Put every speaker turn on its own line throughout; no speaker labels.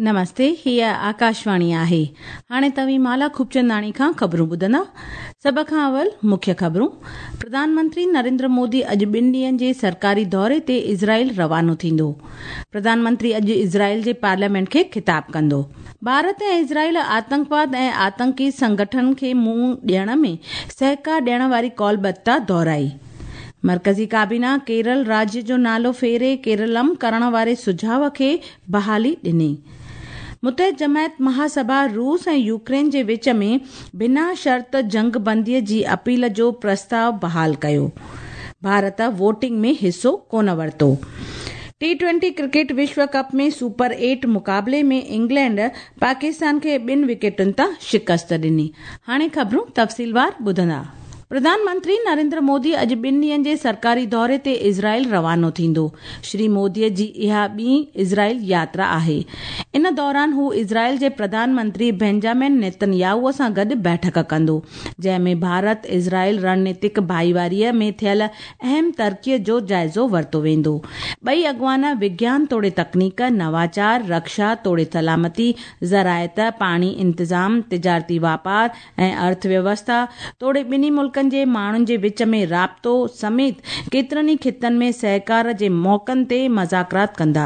نمستي هيء آڪاشواڻي آهي. هاڻي توهين مالا خوبچنداڻي کان خبرون ٻڌندا. سڀ کان اول مکيه خبرون. پرڌان منتري نريندر مودي اڄ ٻن ڏينهن جي سرڪاري دوري تي اسرائيل روانو ٿيندو. پرڌان منتري اڄ اسرائيل جي پارليامينٽ کي خطاب ڪندو. ڀارت ۽ اسرائيل آتنڪواد ۽ آتنڪي سنگٺنن کي منهن ڏيڻ ۾ سهڪار ڏيڻ واري قولبڌتا دهرائي. مرڪزي ڪابينا ڪيرل راجيه جو نالو ڦيري ڪيرلم ڪرڻ واري سجهاء کي بحالي ڏني. متحد جماعت مهاسڀا روس ۽ يوڪرين جي وچ ۾ بنا شرط جنگ بندي جي اپيل جو پرستاء بحال ڪيو. ڀارت ووٽنگ ۾ حصو ڪونه ورتو. ٽي ٽوئنٽي ڪرڪيٽ وشو ڪپ ۾ سپر ايٽ مقابلي ۾ انگلينڊ پاڪستان کي ٻن وڪيٽن تان شڪست ڏني. هاڻي خبرون تفصيلوار ٻڌندا. پرڌان منتري نريندر مودي اڄ ٻن ڏينهن جي سرڪاري دوري تي اسرائيل روانو ٿيندو. شري مودي جي اها ٻي اسرائيل ياترا آهي. ان دوران هو اسرائيل جي پرڌان منتري بينجامن نيتن ياهو سان گڏ بيٺڪ ڪندو، جنهن ۾ ڀارت اسرائيل رڻنيتڪ ڀائيواري ۾ ٿيل اهم ترقي جو جائزو ورتو ويندو. ٻئي اڳواڻ وگيان توڙي تڪنيڪ، نواچار، رڪشا توڙي سلامتي، زراعت، پاڻي انتظام، تجارتي واپار ۽ ارٿ ويوسٿا توڙي ٻنهي ملڪن جي ماڻهن جي وچ ۾ رابطو سميت ڪيترن ئي خطن ۾ سهڪار جي موقعن تي مذاڪرات ڪندا.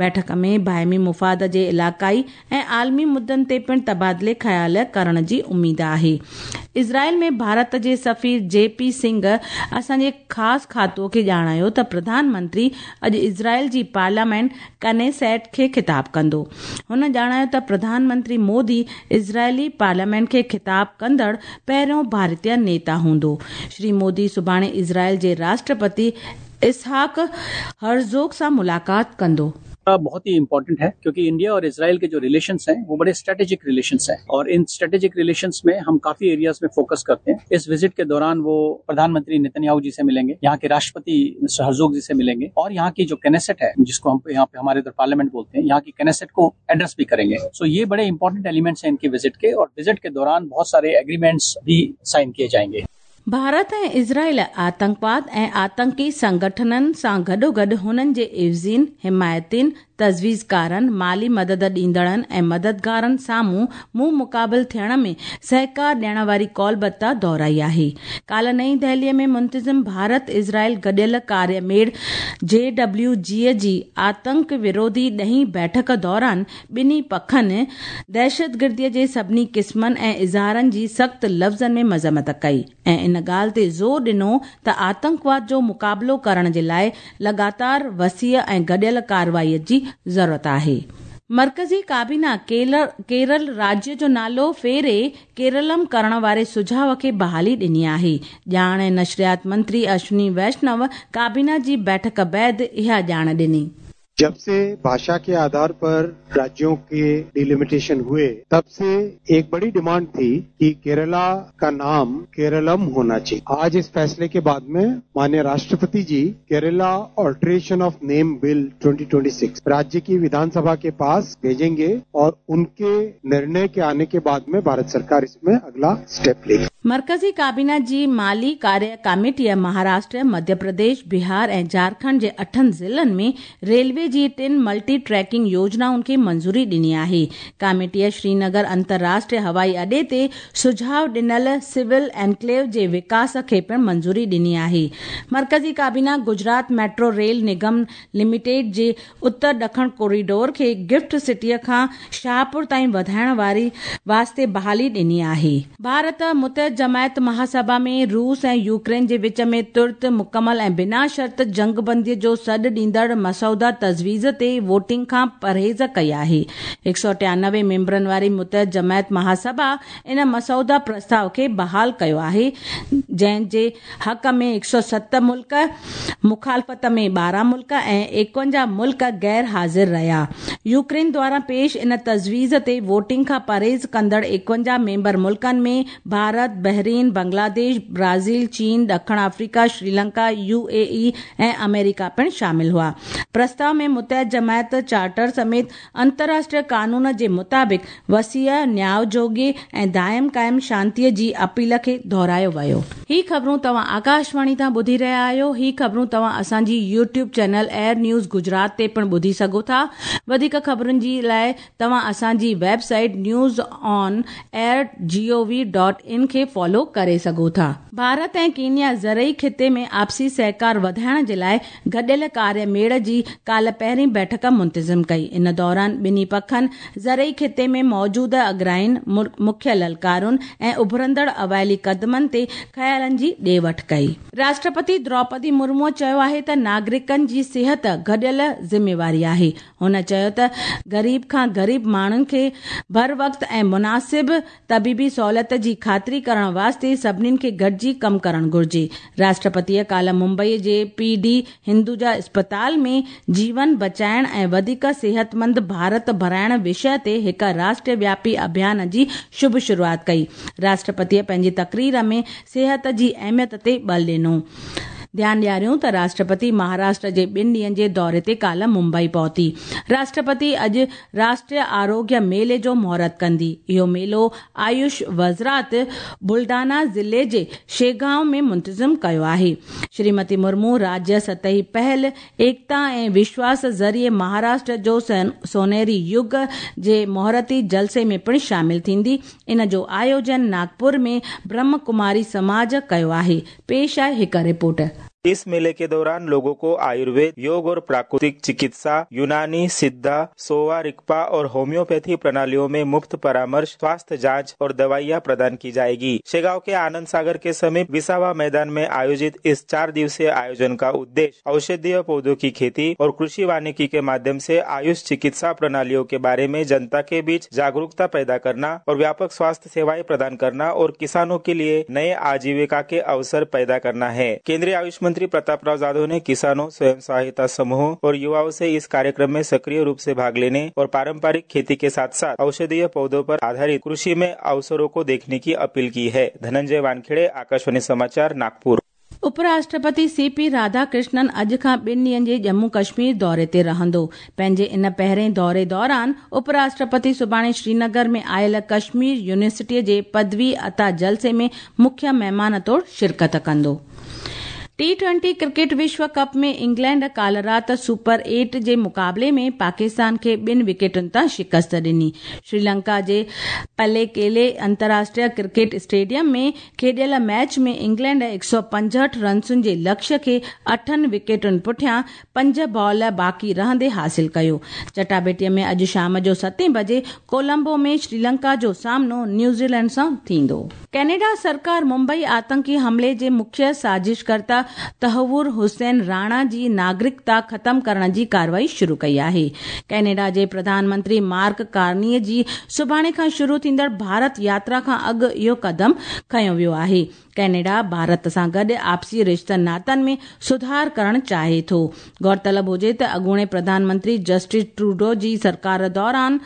بيٺڪ ۾ باهمي مفاد جي علائقائي ۽ عالمي مدعن تي پڻ تبادلي خيال ڪرڻ جي اميد آهي. اسرائيل ۾ ڀارت جي سفير جي پي سنگهه اسان جي خاص کاتو کي ڄاڻايو ته پرڌان منتري اڄ اسرائيل جي پارليامينٽ ڪنيسيٽ کي خطاب ڪندو. هن ڄاڻايو ته پرڌان منتري مودي اسرائيلي پارليامينٽ کي خطاب ڪندڙ پهريون ڀارتيه نيتا هوندو. شري مودي سڀاڻي اسرائيل جي راشٽرپتي اسحاق هرزوگ سان ملاقات ڪندو.
बहुत ही इंपॉर्टेंट है क्योंकि इंडिया और इसराइल के जो रिलेशंस हैं वो बड़े स्ट्रेटेजिक रिलेशंस हैं और इन स्ट्रेटेजिक रिलेशंस में हम काफी एरियाज में फोकस करते हैं। इस विजिट के दौरान वो प्रधानमंत्री नेतन्याहू जी से मिलेंगे, यहाँ के राष्ट्रपति मिस्टर हर्जोग जी से मिलेंगे और यहाँ की जो केनेसेट है, जिसको हम यहाँ पे हमारे इधर पार्लियामेंट बोलते हैं, यहाँ की केनेसेट को एड्रेस भी करेंगे। सो ये बड़े इंपॉर्टेंट एलिमेंट्स हैं इनके विजिट के और विजिट के दौरान बहुत सारे एग्रीमेंट्स भी साइन किए जाएंगे।
ڀارت ۽ اسرائيل آتنڪواد ۽ آتنڪي سنگٺنن سان گڏوگڏ هنن جي عيوضين، حمايتين، تجويزڪارن، مالي مدد ڏيندڙن ۽ مددگارن سامهون منهن مقابل ٿيڻ ۾ سهڪار ڏيڻ واري قولبڌتا دهرائي آهي. ڪالهه نئين دهلي ۾ منتظم ڀارت اسرائيل گڏيل ڪاريه ميڙ، جي ڊبليو جي، جي آتنڪ وروڌي ڏهين بيٺڪ دوران ٻنهي پکن دهشتگردي جي سڀني قسمن ۽ اظهارن جي سخت لفظن ۾ مذمت ڪئي ۽ ان ڳالهه تي زور ڏنو ته آتنڪواد جو مقابلو ڪرڻ جي لاء لڳاتار، وسيع ۽ گڏيل ڪارروائي جي ضرورت آهي. مرڪزي ڪابينا ڪيرل راجيه جو نالو ڦيري ڪيرلم ڪرڻ واري سجهاء کي بحالي ڏني آهي. ڄاڻ ۽ نشريات منتري اشوني ويشنو ڪابينا جي بيٺڪ بعد اها ڄاڻ ڏني.
جب سي ڀاشا ڪي آڌار پر راجيون ڪي ڊيليميٽيشن هوئي تب سي ايڪ بڙي ڊيمانڊ ٿي ڪي ڪيرلا ڪا نام ڪيرلم هونا چاهيي. آج اس فيصلي ڪي بعد مين مانيه راشٽرپتي جي ڪيرلا آلٽريشن آف نيم بل 2026 راجيه ڪي وڌان سڀا ڪي پاس ڀيجينگي اور انڪي نرني ڪي آني ڪي بعد مين ڀارت سرڪار اس مين اگلا اسٽيپ ليگي.
مرڪزي ڪابينا جي مالي ڪاريه ڪاميٽيء مهاراشٽر، مڌيه پرديش، بهار ۽ جهارکنڊ جي اٺن ضلعن ۾ ريلوي جي ٽن ملٽي ٽريڪنگ يوجنائن کي منظوري ڏني آهي. ڪاميٽيء شرينگر انترراشٽريه هوائي اڏي تي سجهاء ڏنل سول انڪليو جي وڪاس کي پڻ منظوري ڏني آهي. مرڪزي ڪابينا Gujarat metro rail Nigam limited جي اتر ڏکڻ ڪوريڊور کي گفٽ سٽيء کان شاهپور تائين وڌائڻ واري واسطي بحالي ڏني آهي. ڀارت متحد جماعت مهاسڀا ۾ روس ۽ يوڪرين جي وچ ۾ ترت، مڪمل ۽ بنا شرط جنگبندي جو سڏ ڏيندڙ مسوده تجويز تي ووٽنگ کان پرهيز ڪئي آهي. هڪ سؤ ٽيانوي ميمبرن واري متحد جماعت مهاسڀا ان مسوده پرستاء کي بحال ڪيو آهي، جنهن جي حق ۾ 107 ملڪ، مخالفت ۾ 12 ملڪ ۽ 51 ملڪ غير حاضر رهيا. يوڪرين دواران پيش ان تجويز تي ووٽنگ کان پرهيز ڪندڙ 51 ميمبر ملڪن ۾ ڀارت، بحرين، بنگلاديش، برازيل، چين، ڏکڻ آفريڪا، سريلنڪا، يو اي اي ۽ آمريڪا پڻ شامل هئا. پرستاء ۾ متحده جماعت چارٽر سميت انترراشٽريه قانون جي مطابق وسيع، نياء جوڳي ۽ دائم قائم شانتي جي اپيل کي دهرايو ويو. هي خبرون توهان آڪاشواڻي تان ٻڌي رهيا آهيو. هي خبرون توهان اسان جي YouTube channel AIR news Gujarat تي پڻ ٻڌي سگهو ٿا. وڌيڪ خبرن جي لاء توهان اسان جي website news on air G O V dot in کي فالو ڪري سگهو ٿا. ڀارت ۽ ڪينيا زرعي خطي ۾ آپسي سهڪار وڌائڻ جي لاء گڏيل ڪاري ميڙ جي ڪالهه پهرين بيٺڪ منتظم ڪئي. ان دوران ٻنهي پکن زرعي خطي ۾ موجوده اڳراين، مکيه للڪارن ۽ اڀرندڙ اوائلي قدمن تي خيالن جي ڏي وٺ ڪئي. راشٽرپتي دروپدي مرموء چيو آهي ته ناگرڪن جي صحت گڏيل ذميواري آهي. هن چيو ته غريب کان غريب ماڻهن کي بروقت ۽ مناسب طبيبي سهولت جي خاطري ڪرڻ واسطي سڀني کي گڏجي ڪم ڪرڻ گهرجي. راشٽرپتيء ڪالهه ممبئي جي پي ڊي هندوجا اسپتال ۾ جيون بچائڻ ۽ وڌيڪ صحتمند ڀارت بڻائڻ وشيه تي هڪ راشٽر وياپي اڀيان جي شڀ شروعات ڪئي. راشٽرپتيء پنهنجي تقرير ۾ صحت جي اهميت تي ٻل ڏنو. ڌيان ڏياريون ته راشٽرپتي مهاراشٽر جي ٻن ڏينهن جي دوري تي ڪالهه ممبئي پهتي. راشٽرپتي اڄ راشٽريه آروگيه ميلي جو مهورت ڪندي. اهو ميلو آيوش وزارت بلڊانا ضلعي جي شيگائون ۾ منتظم ڪيو آهي. شريمتي مرمو راجيه سطحي پهل ايڪتا ۽ وشواس ذريعي مهاراشٽر جو سونهري يگ جي مهورتي جلسي ۾ پڻ شامل ٿيندي. ان جو آيوجن ناگپور ۾ برهم ڪماري سماج ڪيو آهي. پيش آهي هڪ رپورٽ.
इस मेले के दौरान लोगों को आयुर्वेद, योग और प्राकृतिक चिकित्सा, यूनानी, सिद्धा, सोवा रिक्पा और होम्योपैथी प्रणालियों में मुफ्त परामर्श, स्वास्थ्य जांच और दवाइयां प्रदान की जाएगी। शेगांव के आनंद सागर के समीप विसावा मैदान में आयोजित इस 4 दिवसीय आयोजन का उद्देश्य औषधीय पौधों की खेती और कृषि वानिकी के माध्यम से आयुष चिकित्सा प्रणालियों के बारे में जनता के बीच जागरूकता पैदा करना और व्यापक स्वास्थ्य सेवाएं प्रदान करना और किसानों के लिए नए आजीविका के अवसर पैदा करना है। केंद्रीय आयुष मंत्री प्रतापराव जाधव ने किसानों, स्वयं सहायता समूहों और युवाओं से इस कार्यक्रम में सक्रिय रूप से भाग लेने और पारंपरिक खेती के साथ साथ औषधीय पौधों पर आधारित कृषि में अवसरों को देखने की अपील की है। धनंजय वानखेड़े, आकाशवाणी समाचार, नागपुर।
उपराष्ट्रपति सी पी राधाकृष्णन अॼु खां ॿिनि ॾींहनि जे ڄम्मू कश्मीर दौरे ते रहंदो। पंहिंजे इन पहिरें दौरे दौरान उपराष्ट्रपति सुभाणे श्रीनगर में आयल कश्मीर यूनिवर्सिटीअ जे पदवी अता जलसे में मुख्य महिमान तौर शिरकत कंदो। टी20 क्रिकेट विश्व कप में इंग्लैंड काल्ह राति सुपर 8 जे मुक़ाबले में पाकिस्तान खे 2 विकेटुनि तां शिकस्त ॾिनी। श्रीलंका जे पलेकेले अंतर्राष्ट्रीय क्रिकेट स्टेडियम में खेॾियल मैच में इंग्लैंड 165 रन्सुनि जे लक्ष्य खे 8 विकेटुनि पुठियां 5 बॉल बाक़ी रहंदे हासिल कयो। चटाबेटीअ में अॼु शाम जो 7 बजे कोलंबो में श्रीलंका जो सामनो न्यूज़ीलैंड सां थींदो। कैनेडा सरकार मुंबई आतंकी हमले जे मुख्य साज़िशकर्ता तहवुर हुसैन राणा जी नागरिकता ख़त्म करण जी कार्रवाई शुरू कई आहे। कैनेडा जे प्रधानमंत्री मार्क कार्नी जी सुभाणे खां शुरू थींदड़ भारत यात्रा खां अॻु इहो कदम खयो वियो आहे। कैनेडा भारत सां गॾु आपसी रिश्तनि नातनि में सुधार करण चाहे थो। गौरतलब हुजे त अॻूणे प्रधानमंत्री जस्टिन ट्रूडो जी सरकार दौरान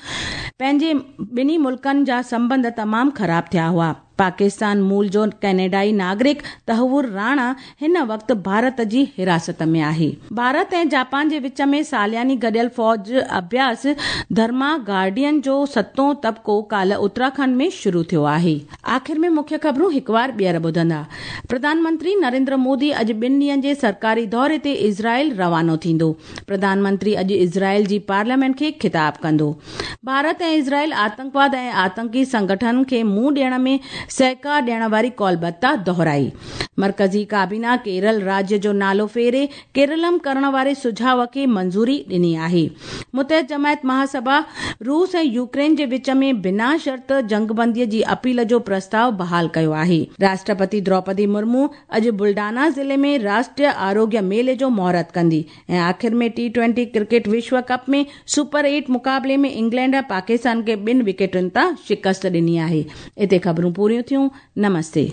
पंहिंजे ॿिन्ही मुल्कनि जा संबंध तमाम ख़राब थिया हुआ। पाकिस्तान मूल जो कैनेडाई नागरिक तहवुर राणा हिन वक़्तु भारत जी हिरासत में आहे। भारत ऐं जापान जे विच में सालियानी गॾियल फ़ौज अभ्यास धर्मा गार्डियन जो 7ओं तबको काल्ह उत्तराखंड में शुरू थियो आहे। आख़िर में मुख्य ख़बरूं हिकु वार ॿीहर ॿुधंदा। प्रधानमंत्री नरेंद्र मोदी अॼु 2 ॾींहनि जे सरकारी दौरे ते इज़राइल रवानो थींदो। प्रधानमंत्री अॼु इज़राइल जी पार्लियामेंट खे ख़िताब कंदो। भारत ऐं इज़राइल आतंकवाद ऐं आतंकी संगठन खे मुंहुं ॾियण में सहकार ॾियण वारी कौलबद्धता दोहराई। मर्कज़ी काबीना केरल राज्य जो नालो फेरे केरलम करण वारे सुझाव खे मंज़ूरी ॾिनी आहे। मुतहद जमायत महासभा रूस ऐं यूक्रेन जे विच में बिना शर्त जंगबंदीअ जी अपील जो प्रस्ताव बहाल कयो आहे। राष्ट्रपति द्रौपदी मुर्मू अॼु बुलडाना ज़िले में राष्ट्रीय आरोग्य मेले जो मुहूर्त कंदी। ऐं आख़िर में टी20 क्रिकेट विश्व कप में सुपर 8 मुक़ाबले में इंग्लैंड पाकिस्तान खे 2 विकेटुनि तां शिकस्त ॾिनी आहे। हिते ख़बरूं पूरियूं थियूं। नमस्ते।